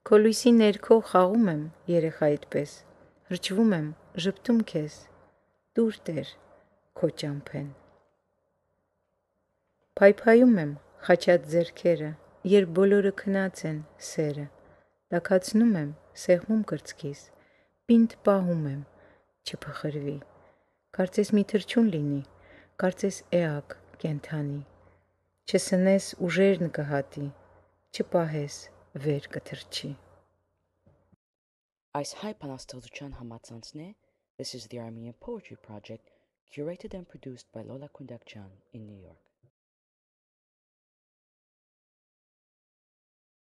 Քո լույսի ներքո խաղում եմ երեխայիդ պես, հրճվում եմ, ժպտում քեզ, տուր Տեր քո ճամփեն։ Փայփայում եմ խաչած ձեռքերը, երբ բոլորը քնած են սերը, տաքացնում եմ սեղմում կրծքիս, պինդ պահում եմ, չփխրվի, կարծես մի թռչուն լինի, կարծես էակ կենդանի, չսնես ուժերն կհատի, չպահես վեր կթռչի։ Այս հայ բանաստեղծության համացանցն է This is the Armenian Poetry Project, curated and produced by Lola Kundakjan in New York.